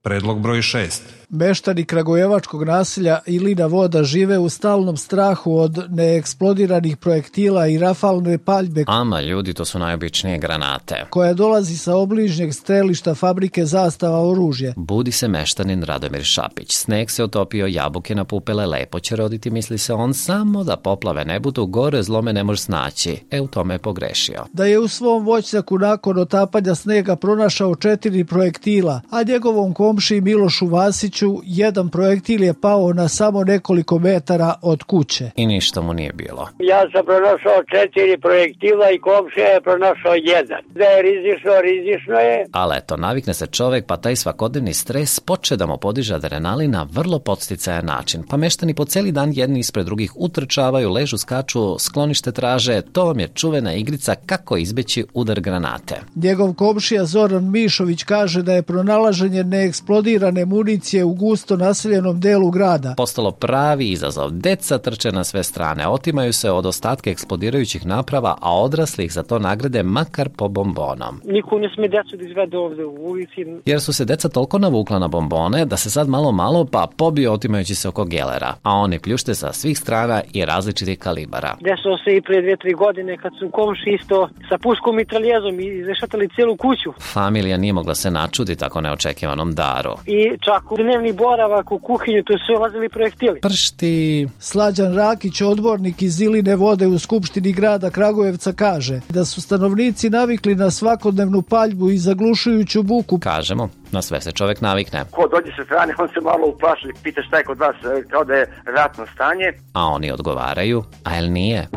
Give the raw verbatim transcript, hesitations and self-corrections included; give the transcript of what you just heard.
Predlog broj šest. Meštani kragujevačkog naselja Ilina Voda žive u stalnom strahu od neeksplodiranih projektila i rafalne paljbe. Ama ljudi, to su najobičnije granate. Koja dolazi sa obližnjeg strelišta fabrike Zastava oružje. Budi se meštanin Radomir Šapić. Sneg se otopio, jabuke napupele, lepo će roditi, misli se on, samo da poplave ne budu, gore zlome ne može snaći. E, u tome je pogrešio. Da je u svom voćnjaku nakon otapanja snega pronašao četiri projektila, a njegovom komšiji Milošu Vasiću jedan projektil je pao na samo nekoliko metara od kuće. I ništa mu nije bilo. Ja sam pronašao četiri projektila i komšija je pronašao jedan. Da je rizično, rizično je. Ali eto, navikne se čovek, pa taj svakodnevni stres poče da mu podiže adrenalin na vrlo podsticajan način. Pa meštani po celi dan jedni ispred drugih utrčavaju, ležu, skaču, sklonište traže. To vam je čuvena igrica kako izbeći udar granate. Njegov komšija Zoran Mišović kaže da je pronalaženje neeksplodirane municije u gusto naseljenom delu grada postalo pravi izazov. Deca trče na sve strane, otimaju se od ostatka eksplodirajućih naprava, a odrasli ih za to nagrade makar po bombonom. Niko ne sme decu da izvede ovde u ulici. Jer su se deca toliko navukla na bombone da se sad malo malo pa pobio otimajući se oko gelera, a oni pljušte sa svih strana i različitih kalibara. Desilo se i pre dve, tri godine kad su komši isto sa puškom mitraljezom izrešatali cijelu kuću. Familija nije mogla se načudi tako neočekivanom daru. I čak u dnevni boravak u kuhinju, tu su ulazili projektili. Pršti. Slađan Rakić, odbornik iz Iline Vode u Skupštini grada Kragujevca, kaže da su stanovnici navikli na svakodnevnu paljbu i zaglušujuću buku. Kažemo, na sve se čovek navikne. Ko dođe sa strane, on se malo uplaši, pita šta je kod vas, kao da je ratno stanje. A oni odgovaraju, a jel nije?